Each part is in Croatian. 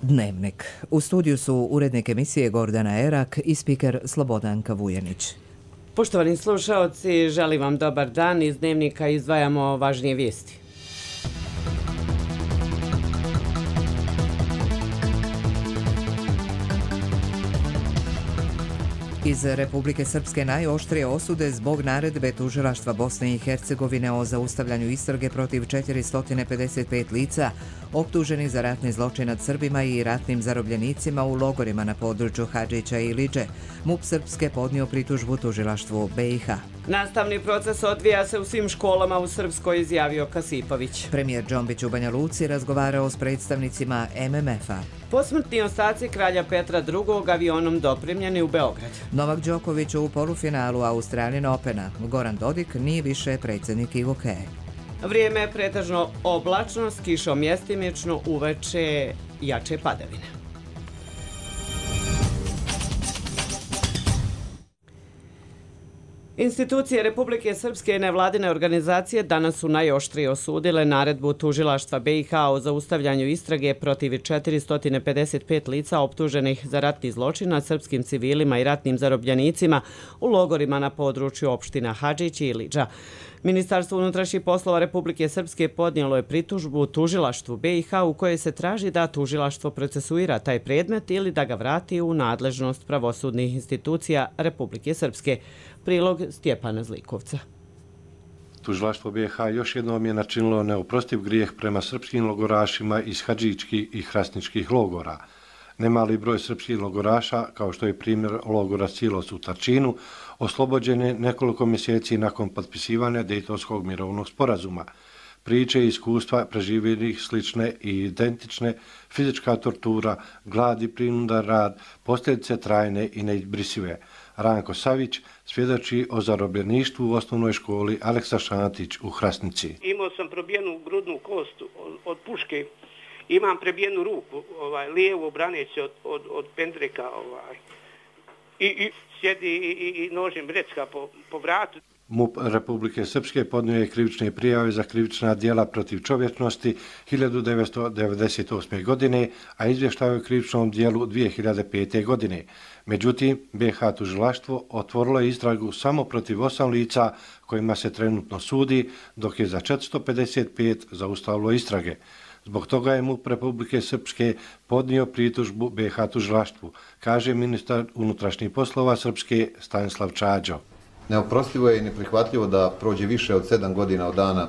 Dnevnik. U studiju su urednik emisije Gordana Erak i spiker Slobodanka Vujanić. Poštovani slušaoci, želim vam dobar dan. Iz Dnevnika izdvajamo važnije vijesti. Iz Republike Srpske najoštrije osude zbog naredbe tužilaštva Bosne i Hercegovine o zaustavljanju istrage protiv 455 lica optuženih za ratni zločin nad Srbima i ratnim zarobljenicima u logorima na području Hadžića i Iliđe. MUP Srpske podnio pritužbu tužilaštvu BiH. Nastavni proces odvija se u svim školama u Srpskoj, izjavio Kasipović. Premijer Džombić u Banja Luci razgovarao s predstavnicima MMF-a. Posmrtni ostaci kralja Petra II. Avionom dopremljeni u Beograd. Novak Đoković u polufinalu Australian Opena. Goran Dodik nije više predsjednik IVOKE. Vrijeme je pretežno oblačno, s kišom mjestimično, uveče jače padavine. Institucije Republike Srpske i nevladine organizacije danas su najoštrije osudile naredbu tužilaštva BiH o zaustavljanju istrage protiv 455 lica optuženih za ratni zločin nad srpskim civilima i ratnim zarobljenicima u logorima na području opština Hadžić i Iliđa. Ministarstvo unutrašnjih poslova Republike Srpske podnijelo je pritužbu tužilaštvu BiH u kojoj se traži da tužilaštvo procesuira taj predmet ili da ga vrati u nadležnost pravosudnih institucija Republike Srpske. Prilog Stjepana Zlikovca. Tužilaštvo BiH još jednom je načinilo neoprostiv grijeh prema srpskim logorašima iz hadžičkih i hrasničkih logora. Nemali broj srpskih logoraša, kao što je primjer logora Silos u Tarčinu, oslobođen je nekoliko mjeseci nakon potpisivanja Dejtonskog mirovnog sporazuma. Priče i iskustva preživjelih slične i identične, fizička tortura, glad i prinudan rad, posljedice trajne i neizbrisive. Ranko Savić svjedoči o zarobljeništvu u osnovnoj školi Aleksa Šantić u Hrasnici. Imao sam probijenu grudnu kost od puške, imam prebijenu ruku, lijevu braneći od pendreka i sjedi i nožem recka po vratu. MUP Republike Srpske podnio je krivične prijave za krivična djela protiv čovječnosti 1998. godine, a izvještao je o krivičnom djelu 2005. godine. Međutim, BiH tužilaštvo otvorilo je istragu samo protiv 8 lica kojima se trenutno sudi, dok je za 455 zaustavilo istrage. Zbog toga je MUP Republike Srpske podnio pritužbu BiH tužilaštvu, kaže ministar unutrašnjih poslova Srpske Stanislav Čađo. Neoprostivo je i neprihvatljivo da prođe više od 7 godina od dana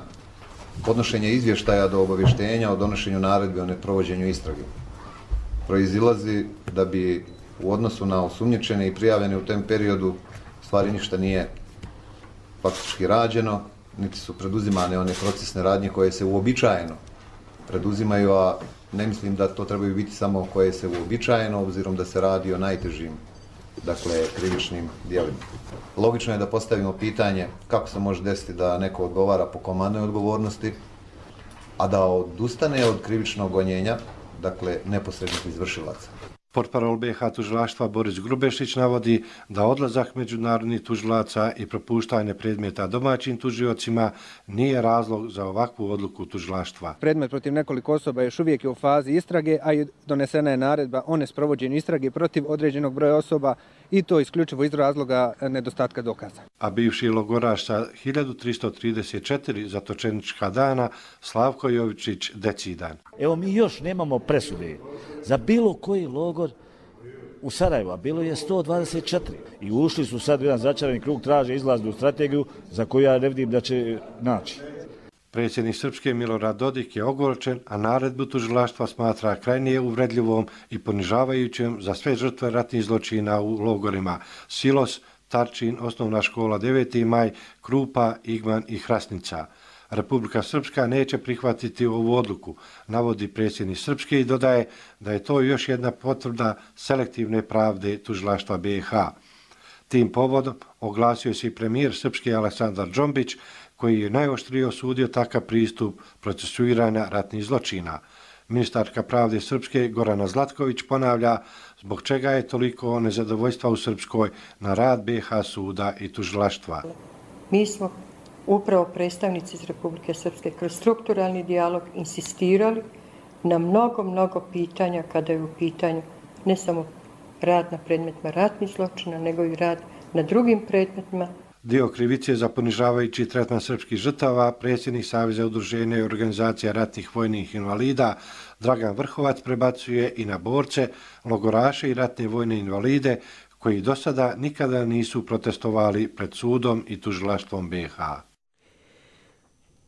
podnošenja izvještaja do obavještenja o donošenju naredbe o neprovođenju istrage. Proizilazi da bi u odnosu na osumnjičene i prijavljene u tom periodu stvari ništa nije faktički rađeno, niti su preduzimane one procesne radnje koje se uobičajeno preduzimaju, a ne mislim da to trebaju biti samo koje se uobičajeno, obzirom da se radi o najtežim, krivičnim djelima. Logično je da postavimo pitanje kako se može desiti da neko odgovara po komandnoj odgovornosti, a da odustane od krivičnog gonjenja, neposrednih izvršilaca. Portparol BiH tužilaštva Boris Grubešić navodi da odlazak međunarodnih tužilaca i propuštanje predmeta domaćim tužiocima nije razlog za ovakvu odluku tužilaštva. Predmet protiv nekoliko osoba još uvijek je u fazi istrage, a i donesena je naredba o nesprovođenju istrage protiv određenog broja osoba i to isključivo iz razloga nedostatka dokaza. A bivši logoraš sa 1334 zatočenička dana Slavko Jovičić decidan. Evo mi još nemamo presude za bilo koji logor u Sarajevu, a bilo je 124. I ušli su sad u jedan začarani krug, traže izlaznu strategiju za koju ja ne vidim da će naći. Predsjednik Srpske Milorad Dodik je ogorčen, a naredbu tužilaštva smatra krajnije uvredljivom i ponižavajućom za sve žrtve ratnih zločina u logorima Silos, Tarčin, osnovna škola 9. maj, Krupa, Igman i Hrasnica. Republika Srpska neće prihvatiti ovu odluku, navodi predsjednik Srpske i dodaje da je to još jedna potvrda selektivne pravde tužilaštva BiH. Tim povodom oglasio se i premijer Srpske Aleksandar Džombić, koji je najoštrije osudio takav pristup procesuiranja ratnih zločina. Ministarka pravde Srpske Gorana Zlatković ponavlja zbog čega je toliko nezadovoljstva u Srpskoj na rad BiH suda i tužilaštva. Mi smo upravo predstavnici iz Republike Srpske kroz strukturalni dijalog insistirali na mnogo pitanja kada je u pitanju ne samo rad na predmetima ratnih zločina, nego i rad na drugim predmetima. Dio krivice za ponižavajući tretman srpskih žrtava predsjednik Saveza udruženja i organizacija ratnih vojnih invalida Dragan Vrhovac prebacuje i na borce, logoraše i ratne vojne invalide koji do sada nikada nisu protestovali pred sudom i tužilaštvom BiH.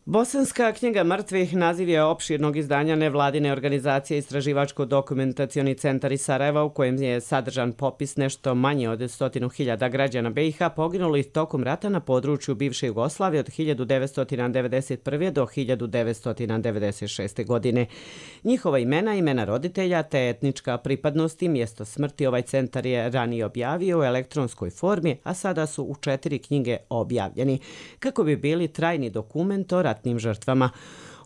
Bosanska knjiga mrtvih naziv je opširnog izdanja nevladine organizacije Istraživačko-dokumentacioni centar iz Sarajeva u kojem je sadržan popis nešto manje od 100.000 građana BiH poginulih tokom rata na području bivše Jugoslavije od 1991. do 1996. godine. Njihova imena, imena roditelja te etnička pripadnost i mjesto smrti ovaj centar je ranije objavio u elektronskoj formi, a sada su u 4 knjige objavljeni, kako bi bili trajni dokument o ratnim žrtvama.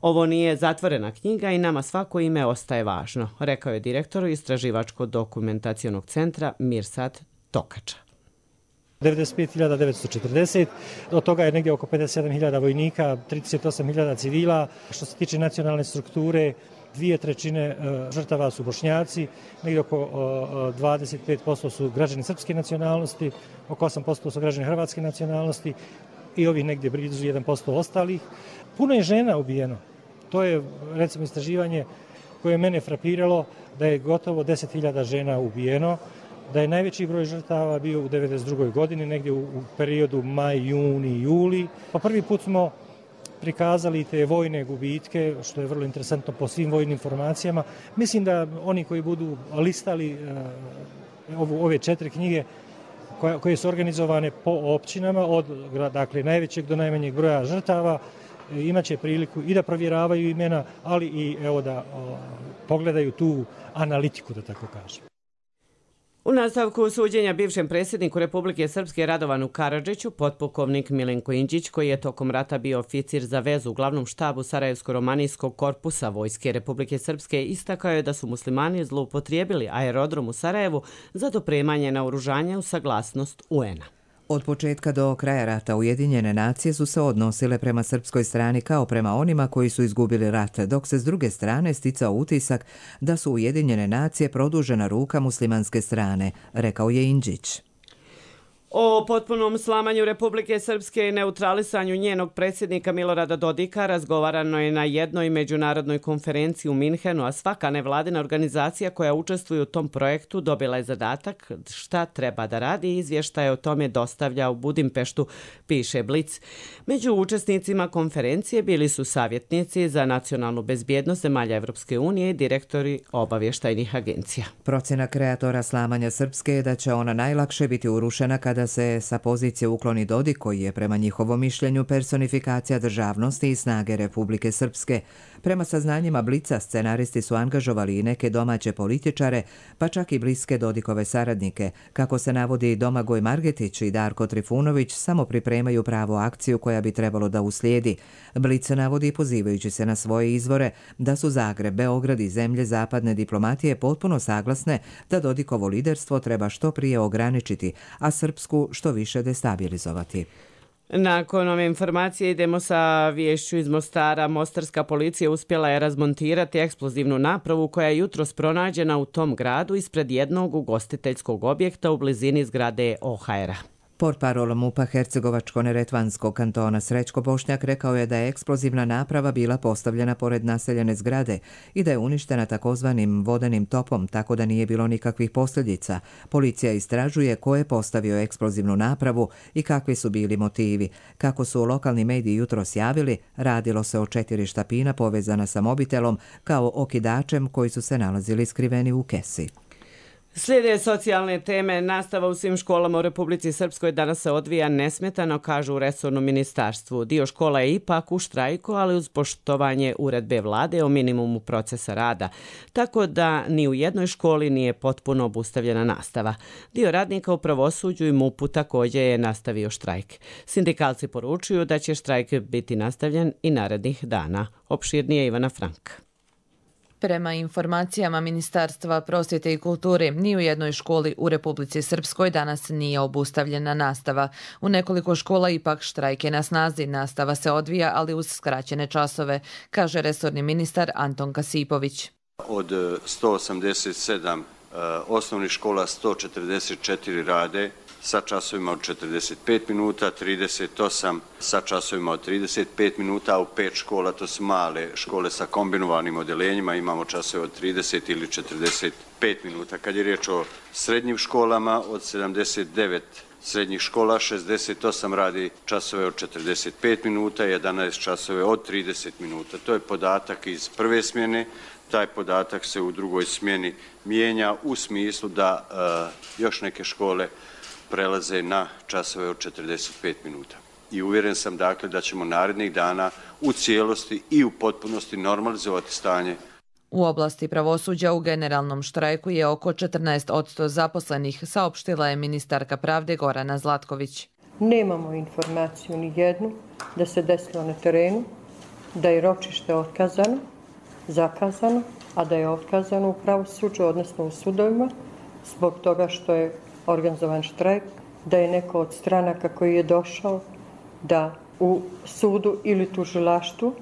Ovo nije zatvorena knjiga i nama svako ime ostaje važno, rekao je direktor Istraživačko-dokumentacionog centra Mirsad Tokača. 95.940, od toga je negdje oko 57.000 vojnika, 38.000 civila. Što se tiče nacionalne strukture, 2/3 žrtava su Bošnjaci, negdje oko 25% su građani srpske nacionalnosti, oko 8% su građani hrvatske nacionalnosti i ovih negdje blizu 1% ostalih. Puno je žena ubijeno. To je, recimo, istraživanje koje je mene frapiralo, da je gotovo 10.000 žena ubijeno, da je najveći broj žrtava bio u 1992. godini, negdje u periodu maj, juni, juli. Pa prvi put smo prikazali te vojne gubitke, što je vrlo interesantno po svim vojnim informacijama. Mislim da oni koji budu listali ove 4 knjige koje su organizovane po općinama, od dakle, najvećeg do najmanjeg broja žrtava, imaće priliku i da provjeravaju imena, ali i evo da pogledaju tu analitiku, da tako kažem. U nastavku suđenja bivšem predsjedniku Republike Srpske Radovanu Karadžiću, potpukovnik Milenko Inđić, koji je tokom rata bio oficir za vezu u glavnom štabu Sarajevsko-romanijskog korpusa Vojske Republike Srpske, istakao je da su muslimani zloupotrijebili aerodrom u Sarajevu za dopremanje naoružanja u saglasnost UN-a. Od početka do kraja rata Ujedinjene nacije su se odnosile prema srpskoj strani kao prema onima koji su izgubili rat, dok se s druge strane sticao utisak da su Ujedinjene nacije produžena ruka muslimanske strane, rekao je Inđić. O potpunom slamanju Republike Srpske i neutralisanju njenog predsjednika Milorada Dodika razgovarano je na jednoj međunarodnoj konferenciji u Minhenu, a svaka nevladina organizacija koja učestvuje u tom projektu dobila je zadatak šta treba da radi i izvještaje o tome dostavlja u Budimpeštu, piše Blic. Među učesnicima konferencije bili su savjetnici za nacionalnu bezbjednost zemalja Evropske unije i direktori obavještajnih agencija. Procjena kreatora slamanja Srpske je da će ona najlakše biti urušena kada se sa pozicije ukloni Dodik, koji je prema njihovom mišljenju personifikacija državnosti i snage Republike Srpske. Prema saznanjima Blica, scenaristi su angažovali i neke domaće političare, pa čak i bliske Dodikove saradnike. Kako se navodi, Domagoj Margetić i Darko Trifunović samo pripremaju pravu akciju koja bi trebalo da uslijedi. Blic navodi, pozivajući se na svoje izvore, da su Zagreb, Beograd i zemlje zapadne diplomatije potpuno saglasne da Dodikovo liderstvo treba što prije ograničiti, a Srpsku što više destabilizovati. Nakon ove informacije idemo sa viješću iz Mostara. Mostarska policija uspjela je razmontirati eksplozivnu napravu koja je jutros pronađena u tom gradu ispred jednog ugostiteljskog objekta u blizini zgrade OHR-a. Portparol MUP-a Hercegovačko-neretvanskog kantona Srećko Bošnjak rekao je da je eksplozivna naprava bila postavljena pored naseljene zgrade i da je uništena takozvanim vodenim topom, tako da nije bilo nikakvih posljedica. Policija istražuje ko je postavio eksplozivnu napravu i kakvi su bili motivi. Kako su lokalni mediji jutros javili, radilo se o 4 štapina povezana sa mobitelom kao okidačem koji su se nalazili skriveni u kesi. Slijede socijalne teme. Nastava u svim školama u Republici Srpskoj danas se odvija nesmetano, kažu u resornom ministarstvu. Dio škola je ipak u štrajku, ali uz poštovanje uredbe vlade o minimumu procesa rada. Tako da ni u jednoj školi nije potpuno obustavljena nastava. Dio radnika u pravosuđu i MUP-u također je nastavio štrajk. Sindikalci poručuju da će štrajk biti nastavljen i narednih dana. Opširnije Ivana Frank. Prema informacijama Ministarstva prosvjete i kulture, ni u jednoj školi u Republici Srpskoj danas nije obustavljena nastava. U nekoliko škola ipak štrajk je na snazi. Nastava se odvija, ali uz skraćene časove, kaže resorni ministar Anton Kasipović. Od 187 osnovnih škola 144 rade sa časovima od 45 minuta, 38 sa časovima od 35 minuta, a u 5 škola, to su male škole sa kombinovanim odeljenjima, imamo časove od 30 ili 45 minuta. Kad je riječ o srednjim školama, od 79 srednjih škola, 68 radi časove od 45 minuta, 11 časove od 30 minuta. To je podatak iz prve smjene. Taj podatak se u drugoj smjeni mijenja u smislu da još neke škole prelaze na časove od 45 minuta. I uvjeren sam dakle da ćemo narednih dana u cijelosti i u potpunosti normalizovati stanje. U oblasti pravosuđa u generalnom štrajku je oko 14% zaposlenih, saopštila je ministarka pravde Gorana Zlatković. Nemamo informaciju ni jednu da se desilo na terenu, da je ročište otkazano, zakazano, a da je otkazano u pravosuđu, odnosno u sudovima, zbog toga što je organizovan štrajk, da je neko od stranaka koji je došao da u sudu ili tužilaštvu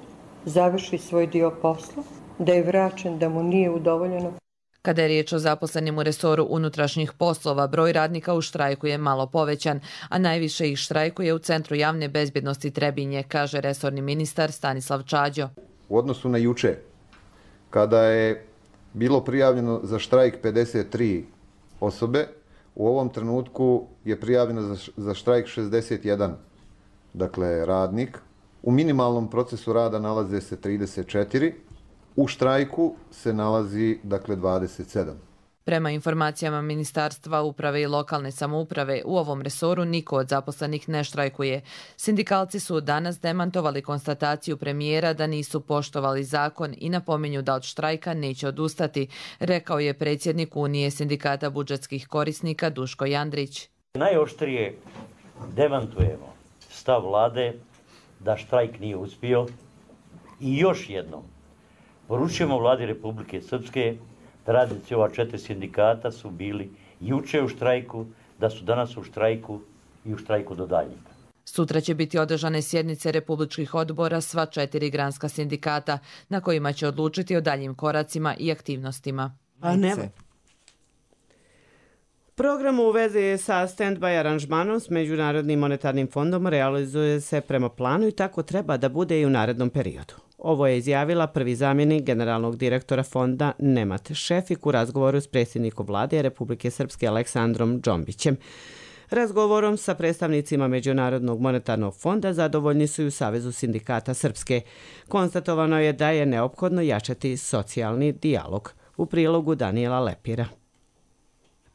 završi svoj dio posla, da je vraćen, da mu nije udovoljeno. Kada je riječ o zaposlenim u resoru unutrašnjih poslova, broj radnika u štrajku je malo povećan, a najviše ih štrajkuje u Centru javne bezbjednosti Trebinje, kaže resorni ministar Stanislav Čađo. U odnosu na juče, kada je bilo prijavljeno za štrajk 53 osobe, u ovom trenutku je prijavljeno za štrajk 61, dakle radnik. U minimalnom procesu rada nalaze se 34, u štrajku se nalazi dakle 27. Prema informacijama Ministarstva uprave i lokalne samouprave, u ovom resoru niko od zaposlenih ne štrajkuje. Sindikalci su danas demantovali konstataciju premijera da nisu poštovali zakon i napominju da od štrajka neće odustati, rekao je predsjednik Unije sindikata budžetskih korisnika Duško Jandrić. Najoštrije demantujemo stav vlade da štrajk nije uspio i još jednom poručujemo vladi Republike Srpske da radnici ova 4 sindikata su bili juče u štrajku, da su danas u štrajku i u štrajku do daljnjega. Sutra će biti održane sjednice republičkih odbora sva 4 granska sindikata, na kojima će odlučiti o daljim koracima i aktivnostima. Program u vezi sa stand-by aranžmanom s Međunarodnim monetarnim fondom realizuje se prema planu i tako treba da bude i u narednom periodu. Ovo je izjavila prvi zamjenik generalnog direktora fonda Nemat Šefik u razgovoru s predsjednikom vlade Republike Srpske Aleksandrom Džombićem. Razgovorom sa predstavnicima Međunarodnog monetarnog fonda zadovoljni su i u Savezu sindikata Srpske. Konstatovano je da je neophodno jačati socijalni dijalog. U prilogu Danijela Lepira.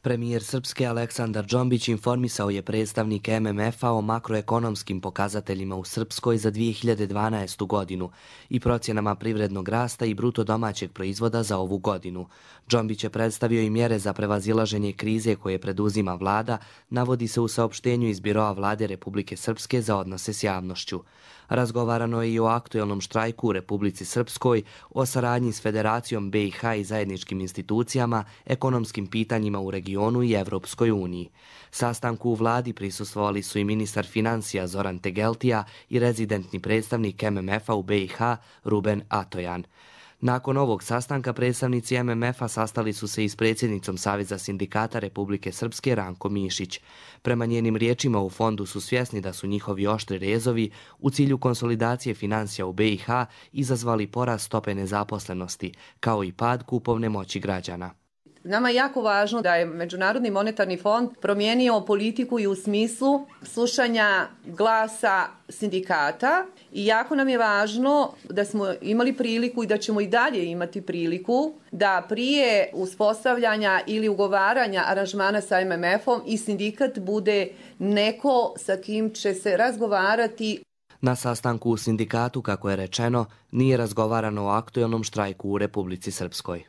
Premijer Srpske Aleksandar Džombić informisao je predstavnike MMF-a o makroekonomskim pokazateljima u Srpskoj za 2012. godinu i procjenama privrednog rasta i bruto domaćeg proizvoda za ovu godinu. Džombić je predstavio i mjere za prevazilaženje krize koje preduzima vlada, navodi se u saopštenju iz Biroa vlade Republike Srpske za odnose s javnošću. Razgovarano je i o aktuelnom štrajku u Republici Srpskoj, o saradnji s Federacijom BiH i zajedničkim institucijama, ekonomskim pitanjima u regionu i Evropskoj uniji. Sastanku u vladi prisustvovali su i ministar financija Zoran Tegeltija i rezidentni predstavnik MMF-a u BiH Ruben Atojan. Nakon ovog sastanka predstavnici MMF-a sastali su se i s predsjednicom Saveza sindikata Republike Srpske Ranko Mišić. Prema njenim riječima u fondu su svjesni da su njihovi oštri rezovi u cilju konsolidacije financija u BiH izazvali porast stope nezaposlenosti, kao i pad kupovne moći građana. Nama je jako važno da je Međunarodni monetarni fond promijenio politiku i u smislu slušanja glasa sindikata i jako nam je važno da smo imali priliku i da ćemo i dalje imati priliku da prije uspostavljanja ili ugovaranja aranžmana sa MMF-om i sindikat bude neko sa kim će se razgovarati. Na sastanku u sindikatu, kako je rečeno, nije razgovarano o aktuelnom štrajku u Republici Srpskoj.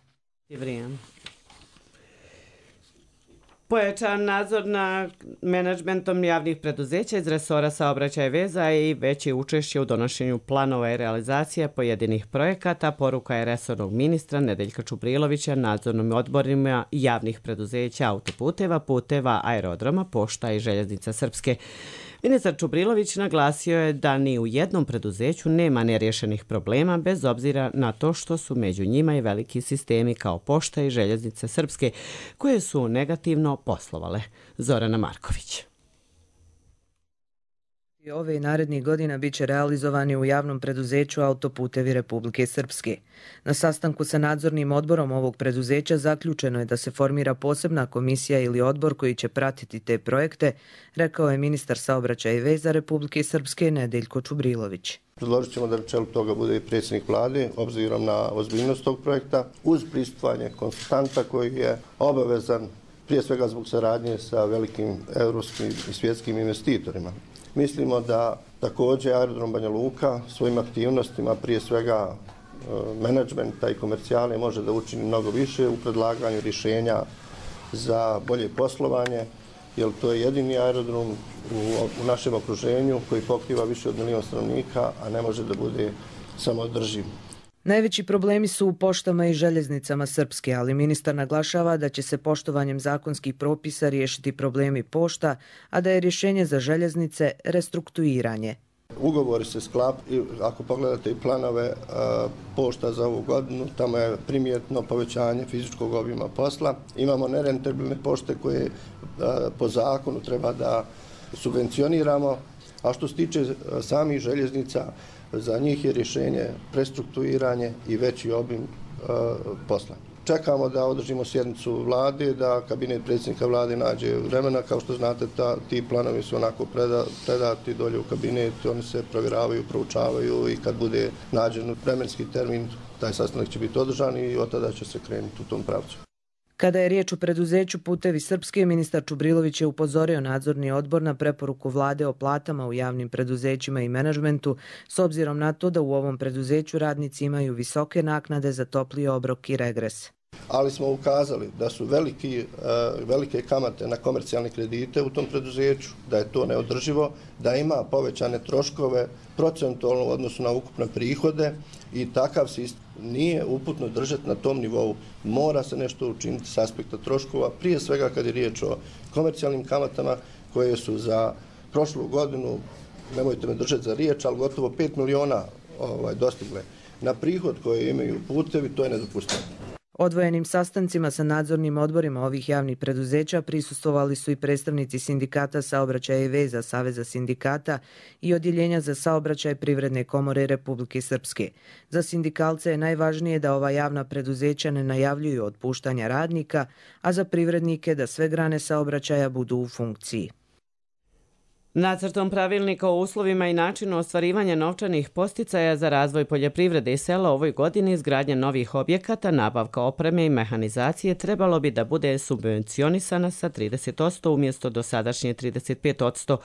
Pojačan nadzor nad menadžmentom javnih preduzeća iz resora saobraćaja i veza i veće učešće u donošenju planova i realizacije pojedinih projekata, poruka je resornog ministra Nedeljka Čubrilovića nadzornim odborima javnih preduzeća autoputeva, puteva, aerodroma, pošta i željeznica Srpske. Ministar Čubrilović naglasio je da ni u jednom preduzeću nema nerješenih problema bez obzira na to što su među njima i veliki sistemi kao Pošta i Željeznice Srpske koje su negativno poslovale. Zorana Marković. Ove i narednih godina bit će realizovani u javnom preduzeću Autoputevi Republike Srpske. Na sastanku sa nadzornim odborom ovog preduzeća zaključeno je da se formira posebna komisija ili odbor koji će pratiti te projekte, rekao je ministar saobraćaja i veza Republike Srpske Nedeljko Čubrilović. Predložit ćemo da na čelu toga bude i predsjednik vlade, obzirom na ozbiljnost tog projekta, uz prisustvovanje konsultanta koji je obavezan prije svega zbog saradnje sa velikim evropskim i svjetskim investitorima. Mislimo da također aerodrom Banja Luka svojim aktivnostima, prije svega menadžmenta i komercijale, može da učini mnogo više u predlaganju rješenja za bolje poslovanje, jer to je jedini aerodrom u našem okruženju koji pokriva više od 1 milion stanovnika, a ne može da bude samoodrživ. Najveći problemi su u poštama i željeznicama Srpske, ali ministar naglašava da će se poštovanjem zakonskih propisa riješiti problemi pošta, a da je rješenje za željeznice restrukturiranje. Ugovori se sklapaju, ako pogledate i planove pošta za ovu godinu, tamo je primjetno povećanje fizičkog obima posla. Imamo nerentabilne pošte koje po zakonu treba da subvencioniramo, a što se tiče samih željeznica, za njih je rješenje prestrukturiranje i veći obim posla. Čekamo da održimo sjednicu vlade, da kabinet predsjednika vlade nađe vremena. Kao što znate, ti planovi su onako predati dolje u kabinet, oni se provjeravaju, proučavaju i kad bude nađen vremenski termin, taj sastanak će biti održan i od tada će se krenuti u tom pravcu. Kada je riječ o preduzeću Putevi Srpske, ministar Čubrilović je upozorio nadzorni odbor na preporuku vlade o platama u javnim preduzećima i menadžmentu, s obzirom na to da u ovom preduzeću radnici imaju visoke naknade za topli obrok i regres. Ali smo ukazali da su velike kamate na komercijalne kredite u tom preduzeću, da je to neodrživo, da ima povećane troškove procentualno u odnosu na ukupne prihode i takav sistem nije uputno držati na tom nivou. Mora se nešto učiniti s aspekta troškova, prije svega kad je riječ o komercijalnim kamatama koje su za prošlu godinu, nemojte me držati za riječ, ali gotovo 5 miliona dostigle. Na prihod koje imaju putevi, to je nedopustivo. Odvojenim sastancima sa nadzornim odborima ovih javnih preduzeća prisustvovali su i predstavnici Sindikata saobraćaja i veza Saveza sindikata i Odjeljenja za saobraćaj Privredne komore Republike Srpske. Za sindikalce je najvažnije da ova javna preduzeća ne najavljuju otpuštanja radnika, a za privrednike da sve grane saobraćaja budu u funkciji. Nacrtom pravilnika o uslovima i načinu ostvarivanja novčanih podsticaja za razvoj poljoprivrede i sela ovoj godini izgradnja novih objekata, nabavka opreme i mehanizacije trebalo bi da bude subvencionisana sa 30% umjesto dosadašnje 35%.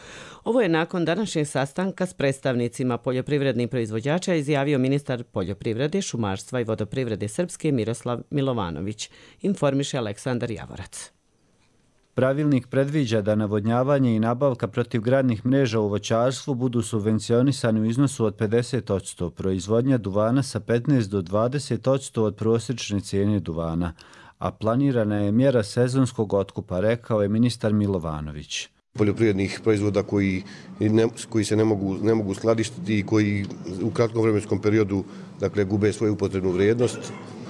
Ovo je nakon današnjeg sastanka s predstavnicima poljoprivrednih proizvođača izjavio ministar poljoprivrede, šumarstva i vodoprivrede Srpske Miroslav Milovanović, informiše Aleksandar Javorac. Pravilnik predviđa da navodnjavanje i nabavka protivgradnih mreža u voćarstvu budu subvencionisani u iznosu od 50%, proizvodnja duvana sa 15 do 20% od prosječne cijene duvana, a planirana je mjera sezonskog otkupa, rekao je ministar Milovanović. Poljoprivrednih proizvoda koji se ne mogu skladištiti i koji u kratkom vremenskom periodu gube svoju upotrebnu vrijednost.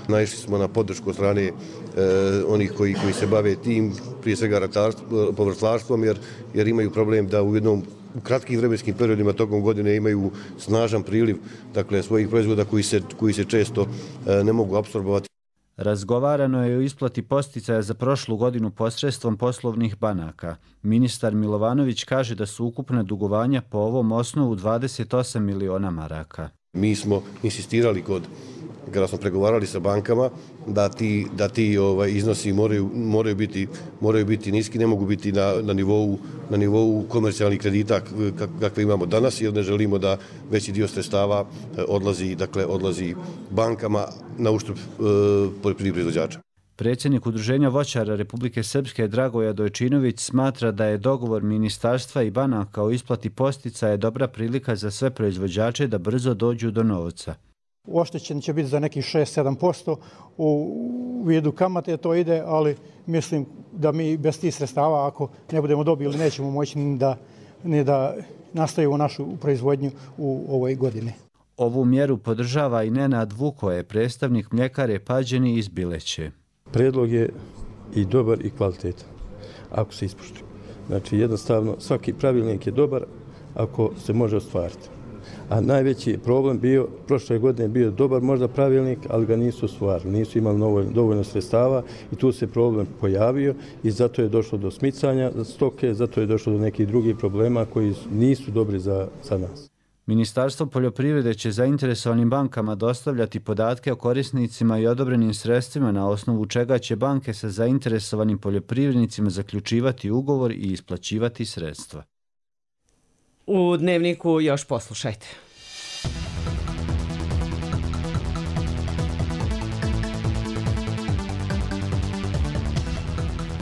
Naišli smo na podršku od strane onih koji se bave tim, prije svega povrtlarstvom, jer imaju problem da u kratkim vremenskim periodima tokom godine imaju snažan priliv svojih proizvoda koji se često ne mogu apsorbovati. Razgovarano je o isplati podsticaja za prošlu godinu posredstvom poslovnih banaka. Ministar Milovanović kaže da su ukupna dugovanja po ovom osnovu 28 miliona maraka. Mi smo insistirali kada smo pregovarali sa bankama da ti iznosi moraju biti niski, ne mogu biti na nivou komercijalnih kredita kakve imamo danas, jer ne želimo da veći dio sredstava odlazi bankama na uštrb poljoprivrednih proizvođača. Predsjednik Udruženja voćara Republike Srpske Dragoje Dojčinović smatra da je dogovor ministarstva i banaka o isplati podsticaja dobra prilika za sve proizvođače da brzo dođu do novca. Oštećen će biti za nekih 6-7%, u vidu kamate to ide, ali mislim da mi bez tih sredstava, ako ne budemo dobili, nećemo moći da ne da nastavimo našu proizvodnju u ovoj godini. Ovu mjeru podržava i Nenad Vukoje, predstavnik mljekare Pađeni iz Bileće. Predlog je i dobar i kvalitetan, ako se ispoštuje. Znači, jednostavno, svaki pravilnik je dobar ako se može ostvariti. A najveći problem bio, prošle godine bio dobar možda pravilnik, ali ga nisu ostvarili, nisu imali dovoljno sredstava i tu se problem pojavio i zato je došlo do smicanja stoke, zato je došlo do nekih drugih problema koji nisu dobri za nas. Ministarstvo poljoprivrede će zainteresovanim bankama dostavljati podatke o korisnicima i odobrenim sredstvima na osnovu čega će banke sa zainteresovanim poljoprivrednicima zaključivati ugovor i isplaćivati sredstva. U Dnevniku još poslušajte.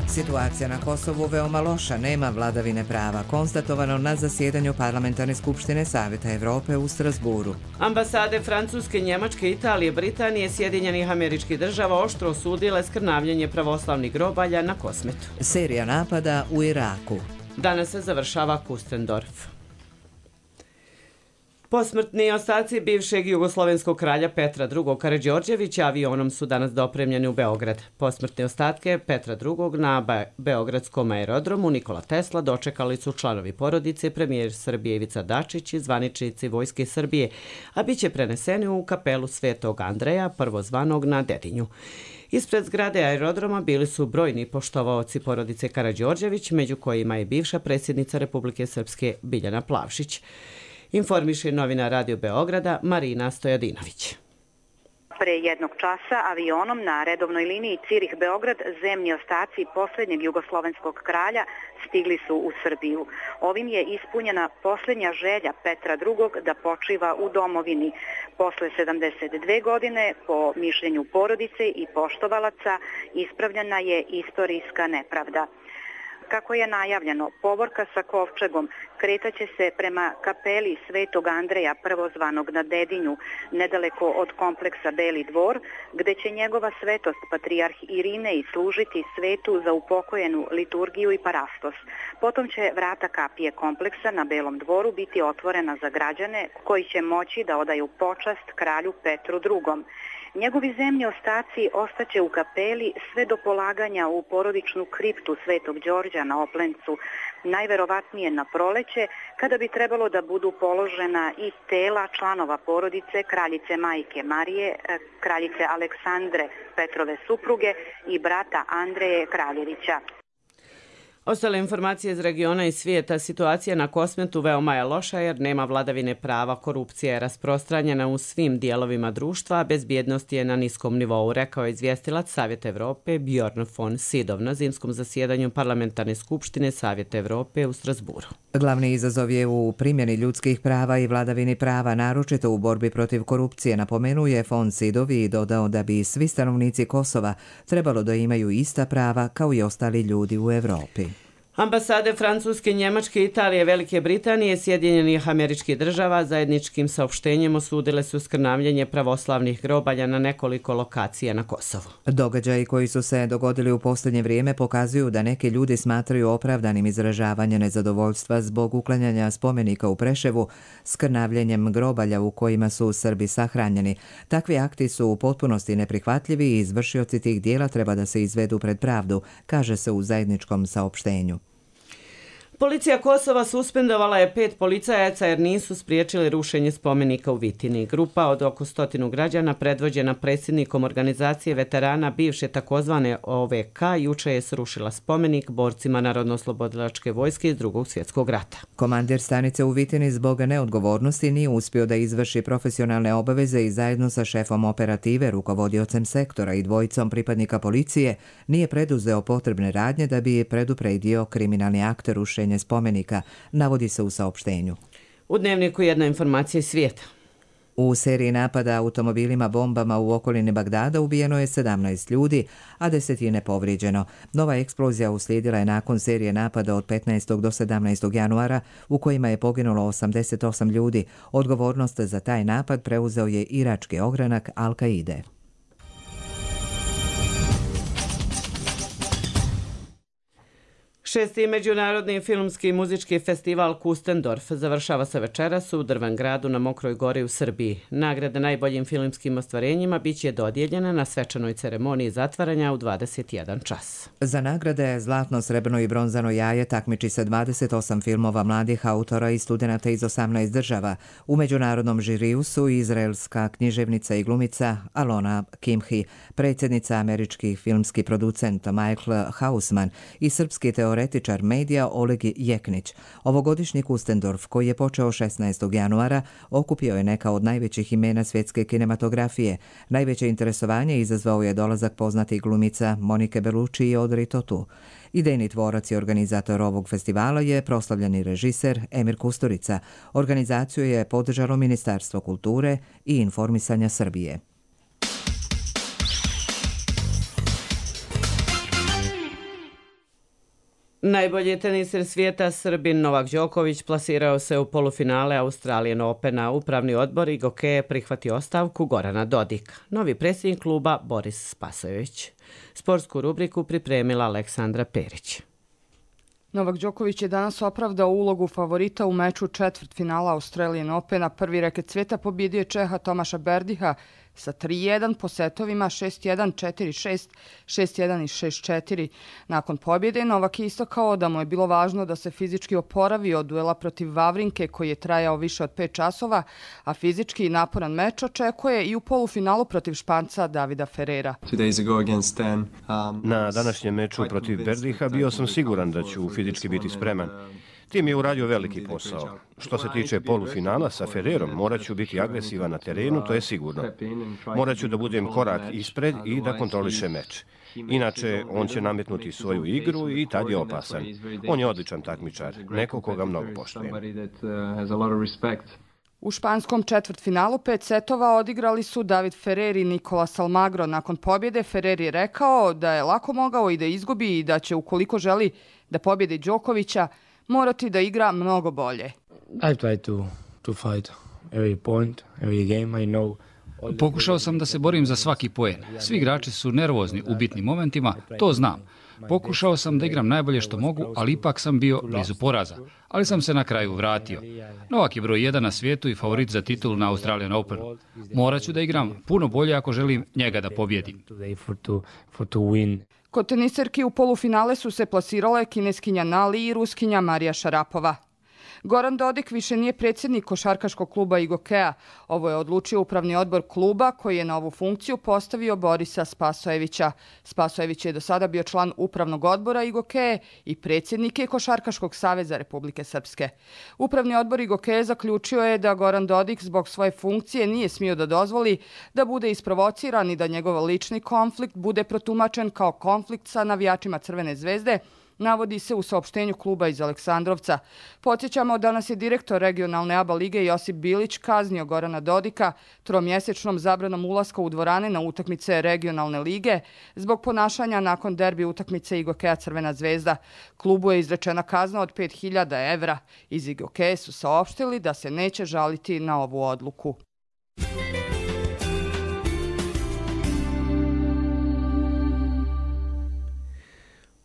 Situacija na Kosovu veoma loša, nema vladavine prava, konstatovano na zasjedanju Parlamentarne skupštine Savjeta Evrope u Strasburu. Ambasade Francuske, Njemačke, Italije, Britanije, Sjedinjenih Američkih Država oštro osudile skrnavljenje pravoslavnih grobalja na Kosmetu. Serija napada u Iraku. Danas se završava Kustendorf. Posmrtni ostaci bivšeg jugoslovenskog kralja Petra II. Karađorđevića avionom su danas dopremljeni u Beograd. Posmrtne ostatke Petra II. Na beogradskom aerodromu Nikola Tesla dočekali su članovi porodice, premijer Srbije Ivica Dačić i zvaničnici Vojske Srbije, a bit će preneseni u kapelu Svetog Andreja, prvozvanog na Dedinju. Ispred zgrade aerodroma bili su brojni poštovaoci porodice Karađorđević, među kojima je bivša predsjednica Republike Srpske Biljana Plavšić. Informiše novinar Radio Beograda Marina Stojadinović. Pre jednog časa avionom na redovnoj liniji Cirih-Beograd zemni ostaci posljednjeg jugoslovenskog kralja stigli su u Srbiju. Ovim je ispunjena posljednja želja Petra II. Da počiva u domovini. Posle 72 godine, po mišljenju porodice i poštovalaca, ispravljena je istorijska nepravda. Kako je najavljeno, povorka sa kovčegom kretaće se prema kapeli Svetog Andreja, prvozvanog na Dedinju, nedaleko od kompleksa Beli dvor, gde će njegova svetost patrijarh Irinej služiti svetu za upokojenu liturgiju i parastos. Potom će vrata kapije kompleksa na Belom dvoru biti otvorena za građane koji će moći da odaju počast kralju Petru II. Njegovi zemlji ostaci ostaće u kapeli sve do polaganja u porodičnu kriptu Svetog Đorđa na Oplencu, najverovatnije na proleće, kada bi trebalo da budu položena i tela članova porodice kraljice majke Marije, kraljice Aleksandre, Petrove supruge i brata Andreje Kraljevića. Ostale informacije iz regiona i svijeta. Situacija na Kosmetu veoma je loša jer nema vladavine prava, korupcija je rasprostranjena u svim dijelovima društva, a bezbjednost je na niskom nivou, rekao je izvjestilac Savjeta Evrope Bjorn von Sydow na zimskom zasjedanju Parlamentarne skupštine Savjeta Evrope u Strasburu. Glavni izazov je u primjeni ljudskih prava i vladavini prava, naročito u borbi protiv korupcije, napomenuje von Sydow i dodao da bi svi stanovnici Kosova trebalo da imaju ista prava kao i ostali ljudi u Evropi. Ambasade Francuske, Njemačke, Italije, Velike Britanije, Sjedinjenih Američkih Država zajedničkim saopštenjem osudile su skrnavljenje pravoslavnih grobalja na nekoliko lokacija na Kosovu. Događaji koji su se dogodili u posljednje vrijeme pokazuju da neki ljudi smatraju opravdanim izražavanje nezadovoljstva zbog uklanjanja spomenika u Preševu skrnavljenjem grobalja u kojima su Srbi sahranjeni. Takvi akti su u potpunosti neprihvatljivi i izvršioci tih dijela treba da se izvedu pred pravdu, kaže se u zajedničkom saopštenju. Policija Kosova suspendovala je 5 policajaca jer nisu spriječili rušenje spomenika u Vitini. Grupa od oko 100 građana predvođena predsjednikom organizacije veterana bivše takozvane OVK juče je srušila spomenik borcima Narodno-oslobodilačke vojske iz Drugog svjetskog rata. Komandir stanice u Vitini zbog neodgovornosti nije uspio da izvrši profesionalne obaveze i zajedno sa šefom operative, rukovodiocem sektora i dvojicom pripadnika policije nije preduzeo potrebne radnje da bi predupredio kriminalni akt rušenja spomenika, navodi se u saopštenju. U Dnevniku jedna informacija iz svijeta. U seriji napada automobilima bombama u okolini Bagdada ubijeno je 17 ljudi, a desetine povrijeđeno. Nova eksplozija uslijedila je nakon serije napada od 15. do 17. januara u kojima je poginulo 88 ljudi. Odgovornost za taj napad preuzeo je irački ogranak Al-Kaide. 6. međunarodni filmski i muzički festival Kustendorf završava se večeras u Drven gradu na Mokroj gori u Srbiji. Nagrada najboljim filmskim ostvarenjima biće dodijeljena na svečanoj ceremoniji zatvaranja u 21 čas. Za nagrade Zlatno, srebrno i bronzano jaje takmiči se 28 filmova mladih autora i studenata iz 18 država. U međunarodnom žiriju su izraelska književnica i glumica Alona Kimhi, predsjednica američki filmski producent Michael Hausman i srpski teoretičar medija Oleg Jeknić. Ovogodišnji Kustendorf, koji je počeo 16. januara, okupio je neka od najvećih imena svjetske kinematografije. Najveće interesovanje izazvao je dolazak poznatih glumica Monike Bellucci i Audrey Tautou. Idejni tvorac i organizator ovog festivala je proslavljeni režiser Emir Kusturica. Organizaciju je podržalo Ministarstvo kulture i informisanja Srbije. Najbolji teniser svijeta Srbin Novak Đoković plasirao se u polufinale Australian Opena. Upravni odbor IGOKE prihvatio ostavku Gorana Dodika. Novi predsjednik kluba Boris Spasojević. Sportsku rubriku pripremila Aleksandra Perić. Novak Đoković je danas opravdao ulogu favorita u meču četvrtfinala Australian Opena. Prvi reket svijeta pobjedio je Čeha Tomaša Berdiha sa 3-1 po setovima 6-1, 4-6, 6-1 i 6-4. Nakon pobjede Novak je istakao da mu je bilo važno da se fizički oporavi od duela protiv Vavrinke koji je trajao više od 5 časova, a fizički naporan meč očekuje i u polufinalu protiv Španca Davida Ferrera. Na današnjem meču protiv Berdiha bio sam siguran da ću fizički biti spreman. Tim je uradio veliki posao. Što se tiče polufinala sa Ferrerom, morat ću biti agresivan na terenu, to je sigurno. Morat ću da budem korak ispred i da kontrolišem meč. Inače, on će nametnuti svoju igru i tad je opasan. On je odličan takmičar, neko koga mnogo poštujem. U španskom četvrtfinalu 5 setova odigrali su David Ferrer i Nicolas Almagro. Nakon pobjede Ferrer je rekao da je lako mogao i da izgubi i da će, ukoliko želi da pobjedi Đokovića, morati da igra mnogo bolje. Pokušao sam da se borim za svaki poen. Svi igrači su nervozni u bitnim momentima, to znam. Pokušao sam da igram najbolje što mogu, ali ipak sam bio blizu poraza. Ali sam se na kraju vratio. Novak je broj 1 na svijetu i favorit za titulu na Australian Openu. Morat ću da igram puno bolje ako želim njega da pobjedim. Kod teniserki u polufinale su se plasirale kineskinja Nali i ruskinja Marija Šarapova. Goran Dodik više nije predsjednik košarkaškog kluba IGOKE-a. Ovo je odlučio upravni odbor kluba koji je na ovu funkciju postavio Borisa Spasojevića. Spasojević je do sada bio član upravnog odbora IGOKE i predsjednik je Košarkaškog saveza Republike Srpske. Upravni odbor IGOKE zaključio je da Goran Dodik zbog svoje funkcije nije smio da dozvoli da bude isprovociran i da njegov lični konflikt bude protumačen kao konflikt sa navijačima Crvene zvezde, navodi se u saopštenju kluba iz Aleksandrovca. Podsjećamo, danas je direktor regionalne ABA lige Josip Bilić kaznio Gorana Dodika tromjesečnom zabranom ulaska u dvorane na utakmice regionalne lige zbog ponašanja nakon derbi utakmice IGOKE-a Crvena zvezda. Klubu je izrečena kazna od 5.000 evra. Iz IGOKE su saopštili da se neće žaliti na ovu odluku.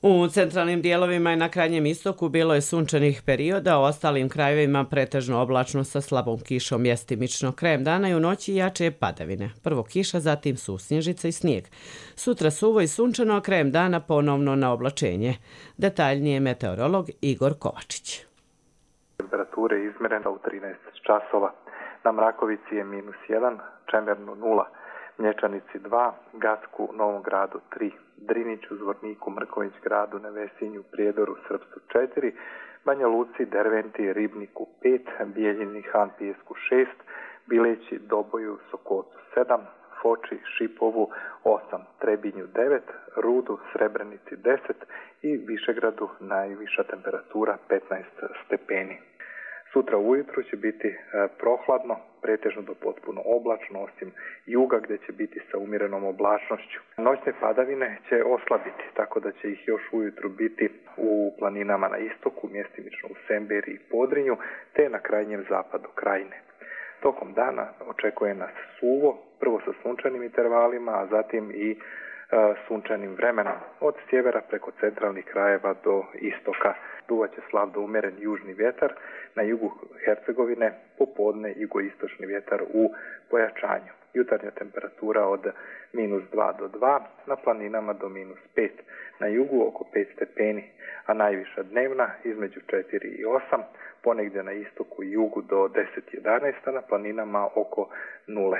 U centralnim dijelovima i na krajnjem istoku bilo je sunčanih perioda, u ostalim krajevima pretežno oblačno sa slabom kišom, mjestimično krajem dana i u noći jače padavine. Prvo kiša, zatim susnježica i snijeg. Sutra suvo i sunčano, a krajem dana ponovno na oblačenje. Detaljnije meteorolog Igor Kovačić. Temperature izmerena u 13 časova. Na Mrakovici je -1, Čemernu 0, Mlječanici 2, Gacku, Novom gradu 3, Driniću, Zvorniku, Mrković gradu, Nevesinju, Prijedoru, Srpsku 4, Banja Luci, Derventi, Ribniku 5, Bijeljini, Han Pijesku 6, Bileći, Doboju, Sokocu 7, Foči, Šipovu 8, Trebinju 9, Rudu, Srebrenici 10 i Višegradu najviša temperatura 15 stepeni. Sutra ujutru će biti prohladno, pretežno do potpuno oblačno, osim juga gdje će biti sa umjerenom oblačnošću. Noćne padavine će oslabiti, tako da će ih još ujutru biti u planinama na istoku, mjestimično u Semberi i Podrinju, te na krajnjem zapadu krajine. Tokom dana očekuje nas suvo, prvo sa sunčanim intervalima, a zatim i sunčanim vremenom. Od sjevera preko centralnih krajeva do istoka duvaće slab do umjeren južni vjetar, na jugu Hercegovine popodne jugoistočni vjetar u pojačanju. Jutarnja temperatura od -2 do 2, na planinama do -5, na jugu oko 5 stepeni, a najviša dnevna između 4 i 8, ponegdje na istoku i jugu do 10-11, a na planinama oko 0.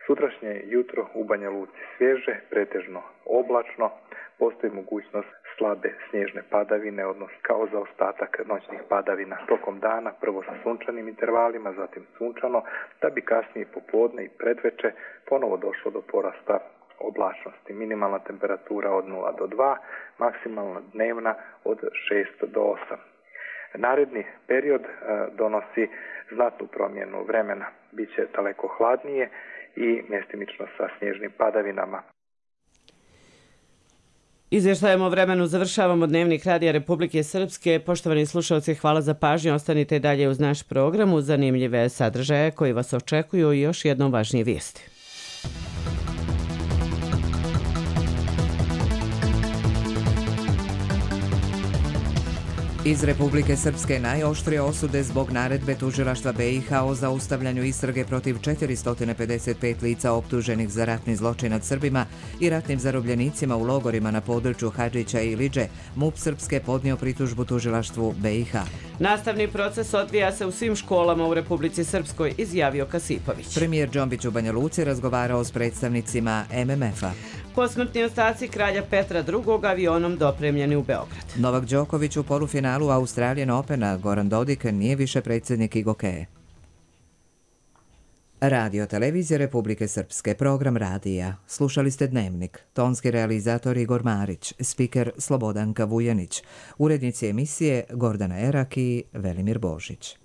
Sutrašnje jutro u Banja Luci svježe, pretežno oblačno, postoji mogućnost slabe snježne padavine, odnosno kao zaostatak noćnih padavina tokom dana, prvo sa sunčanim intervalima, zatim sunčano, da bi kasnije popodne i predveče ponovo došlo do porasta oblačnosti. Minimalna temperatura od 0 do 2, maksimalna dnevna od 6 do 8. Naredni period donosi znatnu promjenu vremena. Biće daleko hladnije i mjestimično sa snježnim padavinama. Izvještajem o vremenu završavamo Dnevnik Radija Republike Srpske. Poštovani slušalci, hvala za pažnju. Ostanite dalje uz naš program, uz zanimljive sadržaje koji vas očekuju i još jednom važnije vijesti. Iz Republike Srpske najoštrije osude zbog naredbe tužilaštva BiH o zaustavljanju istrage protiv 455 lica optuženih za ratni zločin nad Srbima i ratnim zarobljenicima u logorima na području Hadžića i Iliđe, MUP Srpske podnio pritužbu tužilaštvu BiH. Nastavni proces odvija se u svim školama u Republici Srpskoj, izjavio Kasipović. Premijer Džombić u Banja Luci razgovarao s predstavnicima MMF-a. Posmrtni ostaci kralja Petra II. Avionom dopremljeni u Beograd. Novak Đoković u polufinalu Australian Opena, Goran Dodik nije više predsjednik IGOKE. Radio televizija Republike Srpske, program radija. Slušali ste Dnevnik. Tonski realizator Igor Marić, spiker Slobodanka Vujanić, urednici emisije Gordana Erak i Velimir Božić.